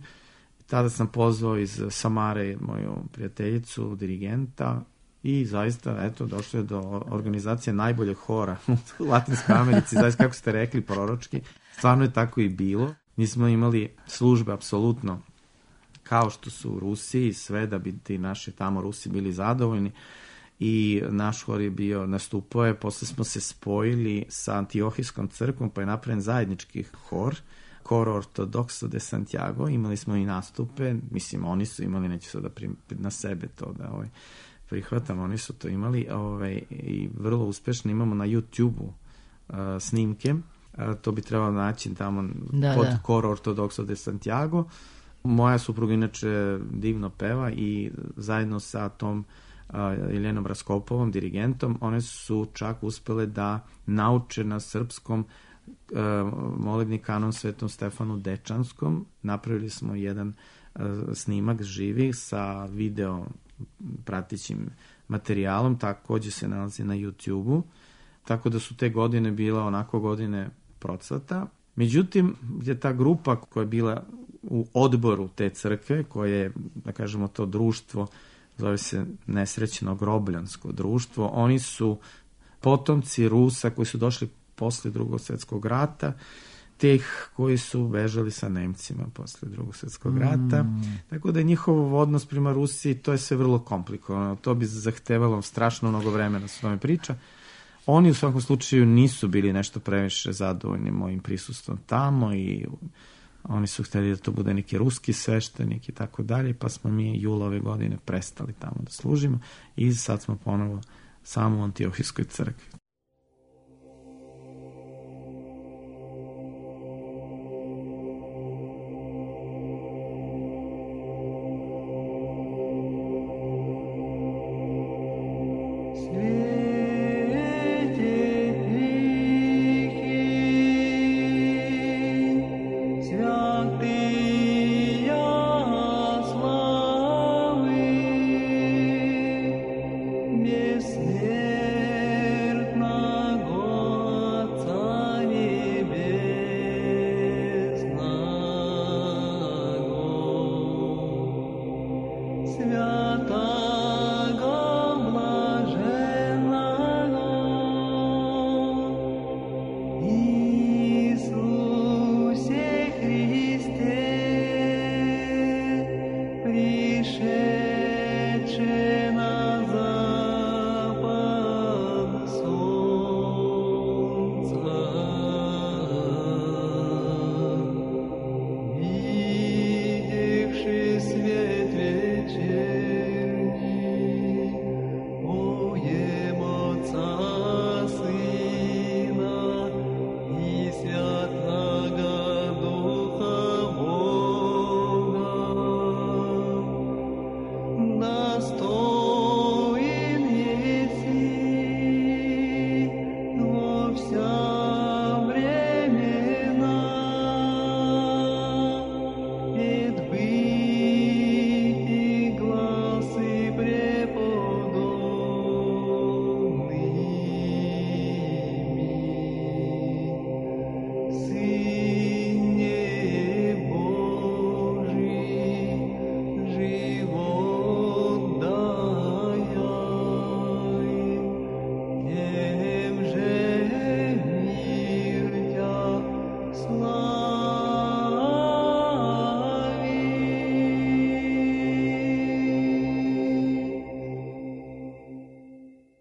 Tada sam pozvao iz Samare moju prijateljicu, dirigenta, i zaista, eto, došlo je do organizacije najboljeg hora u Latinskoj Americi, zaista kako ste rekli, proročki. Stvarno je tako i bilo. Mi smo imali službe apsolutno kao što su u Rusiji, sve da bi ti naši tamo Rusi bili zadovoljni i naš hor je bio, nastupao je, posle smo se spojili sa Antiohijskom crkvom, pa je napravljen zajednički hor, Coro Ortodoxo de Santiago, imali smo i nastupe, mislim, oni su imali, neću sada na sebe to da prihvatam, oni su to imali i vrlo uspešno imamo na YouTube-u snimke, to bi trebalo naći tamo pod Coro Ortodoxo de Santiago. Moja supruga inače divno peva i zajedno sa tom Jeljenom Raskopovom, dirigentom, one su čak uspele da nauče na srpskom molebni kanon Svetom Stefanu Dečanskom. Napravili smo jedan snimak živi sa video pratećim materijalom, takođe se nalazi na YouTube-u, tako da su te godine bila onako godine procvata. Međutim, je ta grupa koja je bila u odboru te crkve, koje je, da kažemo, to društvo, zove se Nesrećno grobljansko društvo, oni su potomci Rusa koji su došli posle Drugog svjetskog rata, teh koji su bežali sa Nemcima posle Drugog svjetskog rata. Tako da je njihov odnos prema Rusiji, to je sve vrlo komplikovano. To bi zahtevalo strašno mnogo vremena s tome priča. Oni u svakom slučaju nisu bili nešto previše zadovoljni mojim prisustvom tamo i oni su hteli da to bude neki ruski sveštenik i tako dalje, pa smo mi jula ove godine prestali tamo da služimo i sad smo ponovo samo u Antiohijskoj crkvi.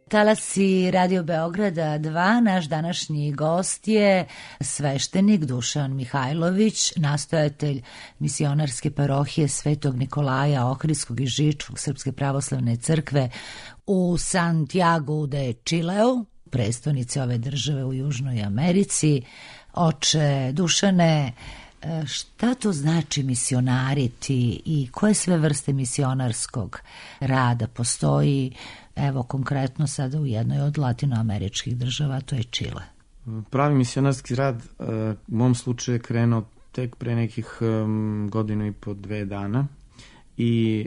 Talasi Radio Beograda 2, naš današnji gost je sveštenik Dušan Mihajlović, nastojatelj misionarske parohije Svetog Nikolaja Ohridskog i Žičkog Srpske pravoslavne crkve u Santiago de Chileu, prestonici ove države u Južnoj Americi. Oče Dušane, šta to znači misionariti i koje sve vrste misionarskog rada postoji, evo konkretno sada u jednoj od latinoameričkih država, to je Čile? Pravi misionarski rad u mom slučaju je krenuo tek pre nekih godinu i po 2 dana i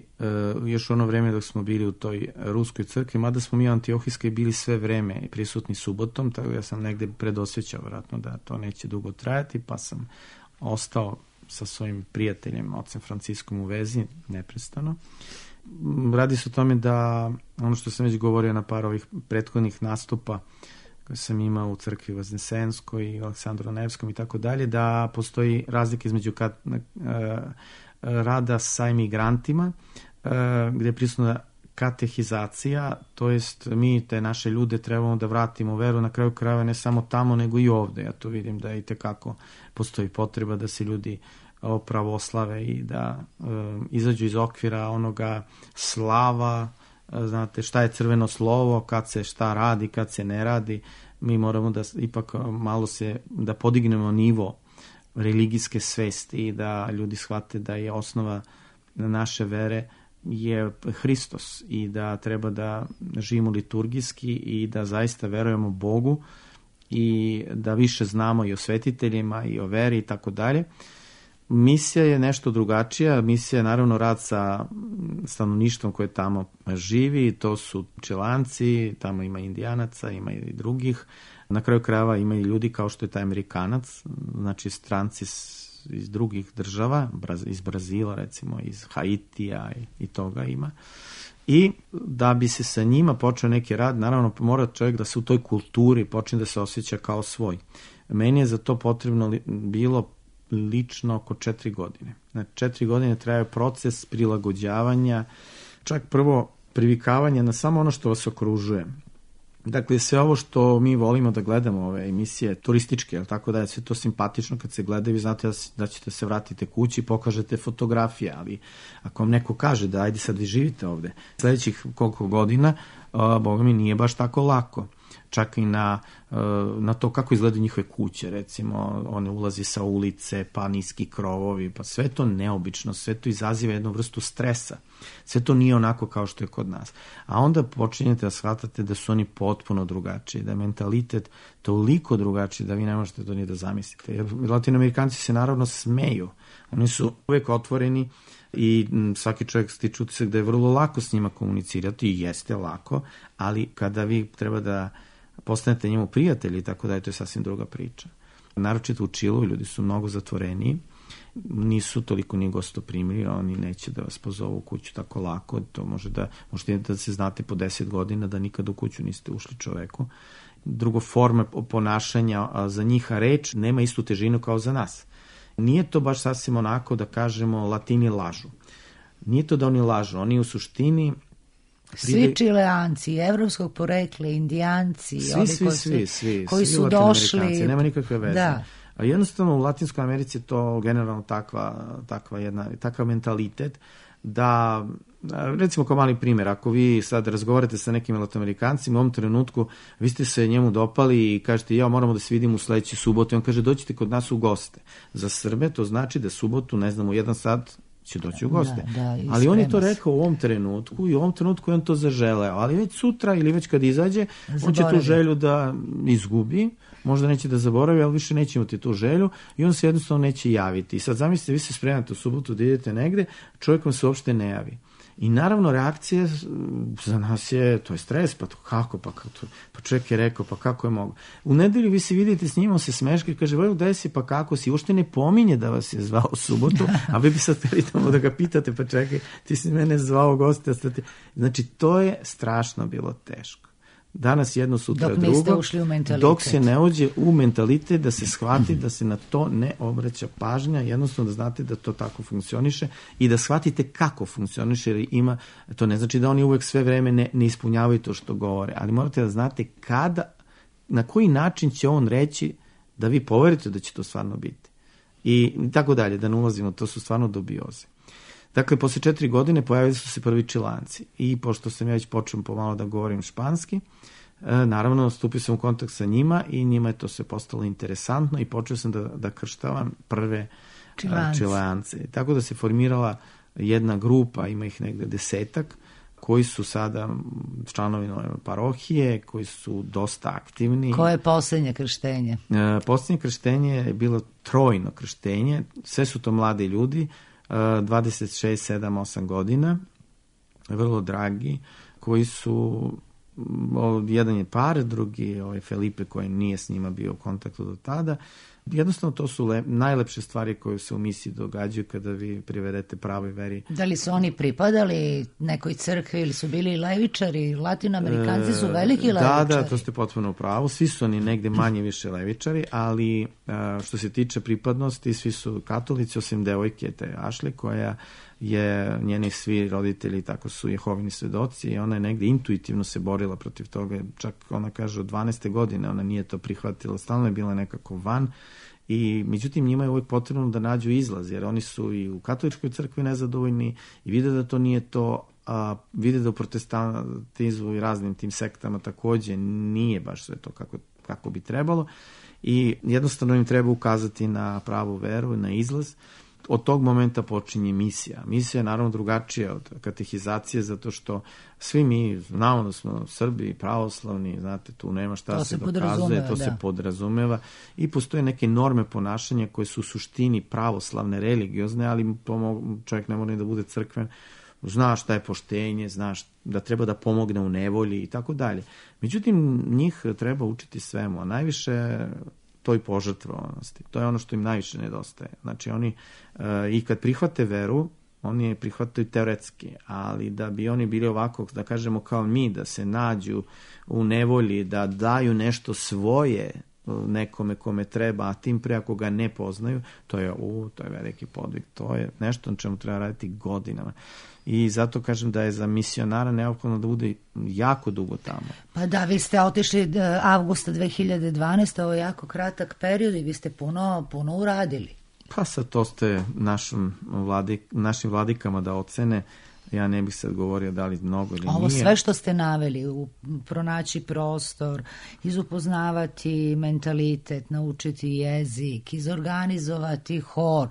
još ono vreme dok smo bili u toj ruskoj crkvi, mada smo mi u Antiohijskoj bili sve vreme prisutni subotom, tako ja sam negde predosjećao vratno da to neće dugo trajati, pa sam ostao sa svojim prijateljem, ocem Franciskom, u vezi neprestano. Radi se o tome da, ono što sam već govorio na par ovih prethodnih nastupa koje sam imao u crkvi Vaznesenskoj i Aleksandru Nevskom i tako dalje, da postoji razlika između rada sa imigrantima, gde je prisutna katehizacija, to jest mi te naše ljude trebamo da vratimo veru, na kraju krajeva ne samo tamo nego i ovde. Ja to vidim da i tekako postoji potreba da se ljudi pravoslave i da izađu iz okvira onoga slava, znate šta je crveno slovo, kad se šta radi, kad se ne radi. Mi moramo da ipak malo da podignemo nivo religijske svesti i da ljudi shvate da je osnova naše vere je Hristos i da treba da živimo liturgijski i da zaista verujemo Bogu i da više znamo i o svetiteljima i o veri i tako dalje. Misija je nešto drugačija. Misija je naravno rad sa stanovništvom koje tamo živi. To su Čilanci, tamo ima Indijanaca, ima i drugih. Na kraju krajeva ima i ljudi kao što je taj Amerikanac, znači stranci iz drugih država, iz Brazila recimo, iz Haitija i toga ima. I da bi se sa njima počeo neki rad, naravno mora čovjek da se u toj kulturi počne da se osjeća kao svoj. Meni je za to potrebno bilo lično oko 4 godine. Znači 4 godine traje proces prilagođavanja, čak prvo privikavanja na samo ono što vas okružuje. Dakle, sve ovo što mi volimo da gledamo, ove emisije turističke, jel tako da je sve to simpatično kad se gleda, vi znate da ćete se vratiti kući i pokažete fotografije, ali ako vam neko kaže da ajde sad vi živite ovde, sledećih koliko godina, boga mi nije baš tako lako. Čak i na to kako izgledaju njihove kuće, recimo, one ulazi sa ulice, pa niski krovovi, pa sve to neobično, sve to izaziva jednu vrstu stresa. Sve to nije onako kao što je kod nas. A onda počinjete da shvatate da su oni potpuno drugačiji, da je mentalitet toliko drugačiji da vi ne možete to ni da zamislite. Jer Latinoamerikanci se naravno smeju. Oni su uvek otvoreni i svaki čovjek stiče utisak da je vrlo lako s njima komunicirati i jeste lako, ali kada vi treba da postanete njemu prijatelji, tako da je to sasvim druga priča. Naročito u Čilu ljudi su mnogo zatvoreniji, nisu toliko ni gostoprimljivi, oni neće da vas pozovu u kuću tako lako, to možete da se znate po 10 godina da nikad u kuću niste ušli čoveku. Drugo, forma ponašanja za njih, reč nema istu težinu kao za nas. Nije to baš sasvim onako da kažemo Latini lažu. Nije to da oni lažu, oni u suštini svi Čileanci, evropskog porekla, Indijanci, svi koji su došli, nema nikakve veze. Da. A jednostavno u Latinskoj Americi je to generalno takav mentalitet da, recimo kao mali primjer, ako vi sad razgovarate sa nekim Latinoamerikancima, u ovom trenutku vi ste se njemu dopali i kažete ja moramo da se vidimo u sledeću subotu i on kaže dođite kod nas u goste. Za Srbe to znači da subotu, ne znam, u 1 sat će doći u goste. Ali on je to rekao u ovom trenutku i u ovom trenutku je on to zaželeo, ali već sutra ili već kad izađe, on će tu želju da izgubi, možda neće da zaboravi, ali više neće imati tu želju i on se jednostavno neće javiti. I sad zamislite, vi se spremate u subotu da idete negde, čovjek vam se uopšte ne javi. I naravno reakcija za nas je, to je stres, pa kako, pa čovjek je rekao, pa kako je mogo. U nedelju vi se vidite s njim, on se smeška i kaže, Vojko, gde si, pa kako si, uopšte ne pominje da vas je zvao u subotu, a vi bi sad htjeli tamo da ga pitate, pa čekaj, ti si mene zvao goste. Znači, to je strašno bilo teško. danas jedno, sutra dok drugo. niste ušli u mentalitet. Dok se ne uđe u mentalitet, da se shvati da se na to ne obraća pažnja, jednostavno da znate da to tako funkcioniše i da shvatite kako funkcioniše, jer ima, to ne znači da oni uvek sve vreme ne ispunjavaju to što govore, ali morate da znate kada, na koji način će on reći da vi poverite da će to stvarno biti. I tako dalje, da ne ulazimo, to su stvarno dubioze. Dakle, posle 4 godine pojavili su se prvi Čilanci i pošto sam ja već počeo pomalo da govorim španski, naravno stupio sam u kontakt sa njima i njima je to sve postalo interesantno i počeo sam da krštavam prve Čilance. Tako da se formirala jedna grupa, ima ih negde 10-ak, koji su sada članovi nove parohije, koji su dosta aktivni. Koje je posljednje krštenje? Posljednje krštenje je bilo trojno krštenje, sve su to mladi ljudi, 26, 7, 8 godina, vrlo dragi, koji su, jedan je par, drugi je Felipe koji nije s njima bio u kontaktu do tada. Jednostavno to su najlepše stvari koje se u misiji događaju kada vi privedete pravoj veri. Da li su oni pripadali nekoj crkvi ili su bili levičari? Latinoamerikanci su veliki levičari. Da, to ste potpuno u pravu. Svi su oni negde manje više levičari, ali što se tiče pripadnosti, svi su katolici, osim devojke te Ashley, koja je, njeni svi roditelji tako su Jehovini svedoci i ona je negde intuitivno se borila protiv toga. Čak ona kaže od 12. godine ona nije to prihvatila, stalno je bila nekako van. I međutim njima je uvijek potrebno da nađu izlaz, jer oni su i u katoličkoj crkvi nezadovoljni i vide da to nije to, a vide da u protestantizmu i raznim tim sektama takođe nije baš sve to kako bi trebalo i jednostavno im treba ukazati na pravu veru, na izlaz. Od tog momenta počinje misija. Misija je naravno drugačija od katehizacije, zato što svi mi znamo da smo Srbi, pravoslavni, znate, tu nema šta se dokazuje, to se podrazumeva i postoje neke norme ponašanja koje su u suštini pravoslavne, religiozne, ali čovjek ne mora ni da bude crkven, zna šta je poštenje, zna da treba da pomogne u nevolji i tako dalje. Međutim, njih treba učiti svemu, a najviše toj požrtvovanosti. To je ono što im najviše nedostaje. Znači oni i kad prihvate veru, oni je prihvataju teoretski, ali da bi oni bili ovako, da kažemo kao mi, da se nađu u nevolji, da daju nešto svoje nekome kome treba, a tim pre ako ga ne poznaju, to je veliki podvig. To je nešto na čemu treba raditi godinama. I zato kažem da je za misionara neophodno da bude jako dugo tamo. Pa da, vi ste otišli avgusta 2012. Ovo je jako kratak period i vi ste puno uradili. Pa sad to ste našim vladikama da ocene. Ja ne bih sad govorio da li mnogo ili nije. Ovo sve što ste naveli, pronaći prostor, izupoznavati mentalitet, naučiti jezik, izorganizovati hor,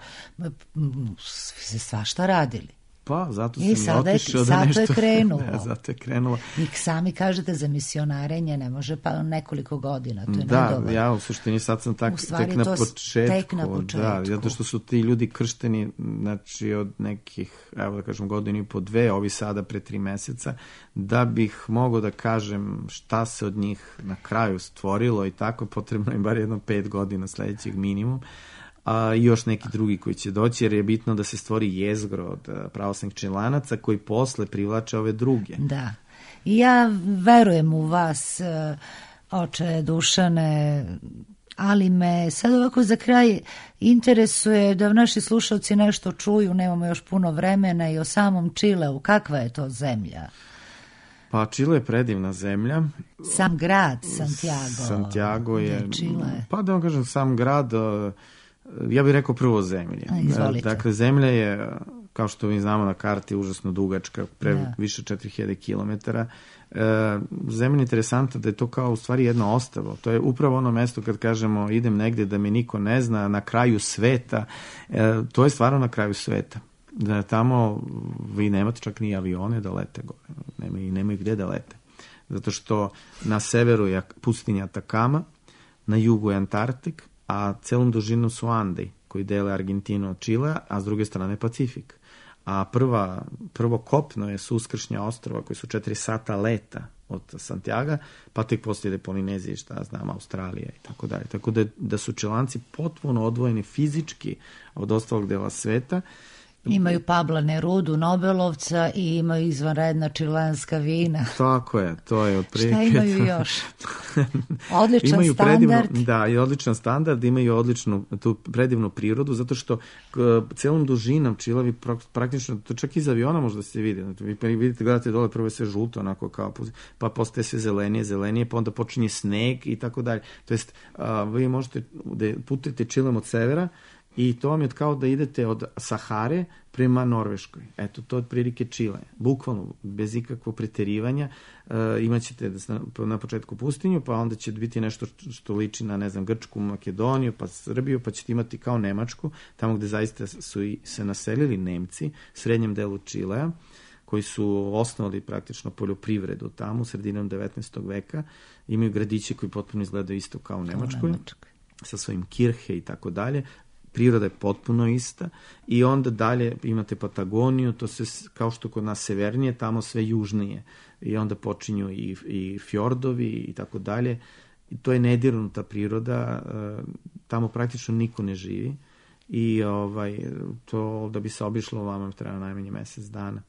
svi ste svašta radili. Pa, zato sam i otišao da nešto... Zato je krenulo. Zato je krenulo. I sami kažete za misionarenje ne može pa nekoliko godina, to je nedovoljno. Da, ja u suštini sad sam tek na početku. Tek na početku. Da, zato što su ti ljudi kršteni, znači od nekih, evo da kažem, godinu i po 2, ovi sada pre 3 meseca, da bih mogao da kažem šta se od njih na kraju stvorilo i tako, potrebno je bar jedno 5 godina sledećeg minimum. I još neki drugi koji će doći, jer je bitno da se stvori jezgro od pravoslavnih Čilanaca koji posle privlače ove druge. Da. I ja verujem u vas, oče Dušane, ali me sad ovako za kraj interesuje da naši slušalci nešto čuju, nemamo još puno vremena, i o samom Čileu. Kakva je to zemlja? Pa Čile je predivna zemlja. Sam grad Santiago je... Čile. Pa da vam kažem, sam grad... Ja bih rekao prvo zemlje. Dakle, zemlja je, kao što mi znamo na karti, užasno dugačka, više 4000 kilometara. Zemlja je interesantna da je to kao u stvari jedno ostrvo. To je upravo ono mesto kad kažemo idem negdje da me niko ne zna, na kraju sveta. To je stvarno na kraju sveta. Da tamo vi nemate čak ni avione da lete gore. Nemaju gde da lete. Zato što na severu je pustinja Atakama, na jugu je Antarktik, a celom dužinom su Andi, koji dele Argentinu od Čilea, a s druge strane Pacifik. A prvo kopno je su uskršnja ostrova koji su 4 sata leta od Santiaga, pa tek poslije Polinezije, šta znam, Australija i tako dalje. Tako da su Čilanci potpuno odvojeni fizički od ostalog dela sveta Imaju Pabla Nerudu, Nobelovca i imaju izvanredna čilenska vina. Tako je, to je otprilike. Šta imaju još? Odličan imaju standard. Da, i odličan standard, imaju odličnu tu predivnu prirodu, zato što celom dužinom Čilevi praktično, to čak iz aviona možda se vidi. Vi vidite, gledate dole, prvo je sve žuto, onako kao, pa postaje sve zelenije, pa onda počinje sneg i tako dalje. To jest, vi možete da putujete Čilem od severa, i to vam je kao da idete od Sahare prema Norveškoj. Eto, to je otprilike Čile. Bukvalno, bez ikakvog preterivanja. Imaćete na početku pustinju, pa onda će biti nešto što liči na, ne znam, Grčku, Makedoniju, pa Srbiju, pa ćete imati kao Nemačku, tamo gde zaista su se naselili Nemci, u srednjem delu Čilea, koji su osnovali praktično poljoprivredu tamo, sredinom 19. veka. Imaju gradiće koji potpuno izgledaju isto kao u Nemačkoj, sa svojim kirhe i tako dalje. Priroda je potpuno ista i onda dalje imate Patagoniju, to se kao što kod nas severnije, tamo sve južnije i onda počinju i fjordovi i tako dalje. I to je nedirnuta priroda, tamo praktično niko ne živi i to da bi se obišlo vama treba najmanje mesec dana.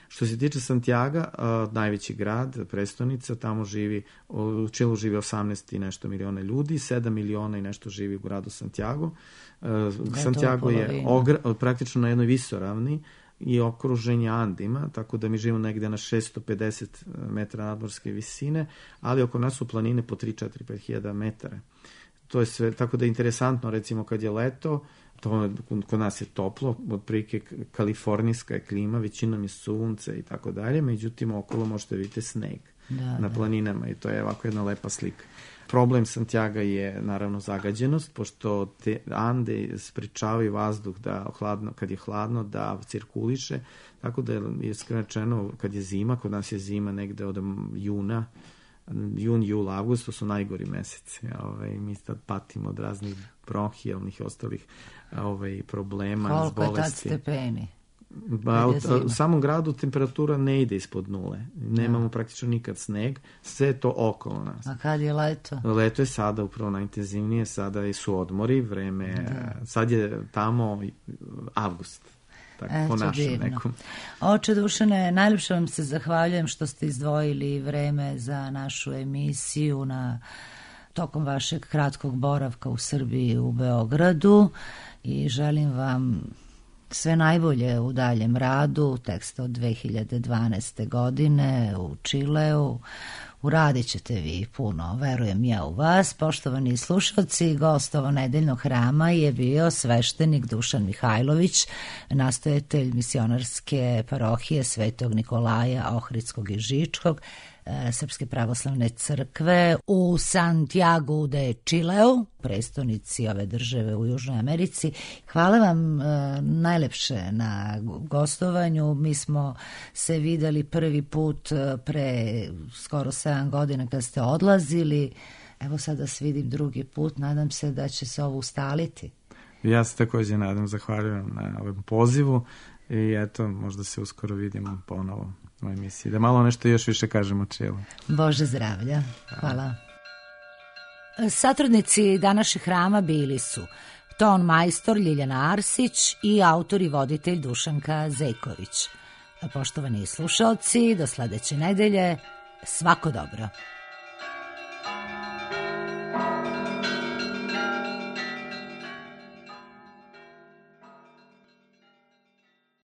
Što se tiče Santiaga, najveći grad, prestonica, tamo živi, u Čilu živi 18 i nešto miliona ljudi, 7 miliona i nešto živi u gradu Santiago. Santiago je praktično na jednoj visoravni i okružen je Andima, tako da mi živimo negde na 650 metara nadmorske visine, ali oko nas su planine po 3, 4, 5 hiljada metara. To je sve, tako da je interesantno, recimo kad je leto, to kod nas je toplo, otprilike kalifornijska je klima, većinom je sunce i tako dalje, međutim okolo možete vidjeti sneg na planinama i to je ovako jedna lepa slika. Problem Santiaga je naravno zagađenost, pošto te Ande sprečavaju vazduh da kad je hladno da cirkuliše, tako da je skraćeno kad je zima, kod nas je zima negde od jun, jul, avgust, to su najgori meseci. Mi sad patimo od raznih bronhijalnih i ostalih problema, bolesti. Koliko je tad stepeni? U samom gradu temperatura ne ide ispod nule. Nemamo praktično nikad sneg. Sve je to okolo nas. A kad je leto? Leto je sada upravo najintenzivnije. Sada su odmori, vreme. Sad je tamo avgust. Po našem nekom. Oče Dušane, najljepše vam se zahvaljujem što ste izdvojili vreme za našu emisiju tokom vašeg kratkog boravka u Srbiji, u Beogradu, i želim vam sve najbolje u daljem radu, tek od 2012. godine u Čileu. Uradit ćete vi puno, verujem ja u vas. Poštovani slušalci, gost ovog nedeljnog hrama je bio sveštenik Dušan Mihajlović, nastojatelj misionarske parohije Svetog Nikolaja Ohridskog i Žičkog, Srpske pravoslavne crkve u Santiagu de Chileu, prestonici ove države u Južnoj Americi. Hvala vam najlepše na gostovanju. Mi smo se videli prvi put pre skoro 7 godina kad ste odlazili. Evo sad da se vidim drugi put. Nadam se da će se ovo ustaliti. Ja se također nadam, zahvaljujem na ovom pozivu i eto, možda se uskoro vidimo ponovo u emisiji. Da malo nešto još više kažemo o Čilu. Bože zdravlja. Hvala. Satrodnici današnjeg hrama bili su ton majstor Ljiljana Arsić i autor i voditelj Dušanka Zejković. Poštovani slušalci, do sledeće nedelje, svako dobro.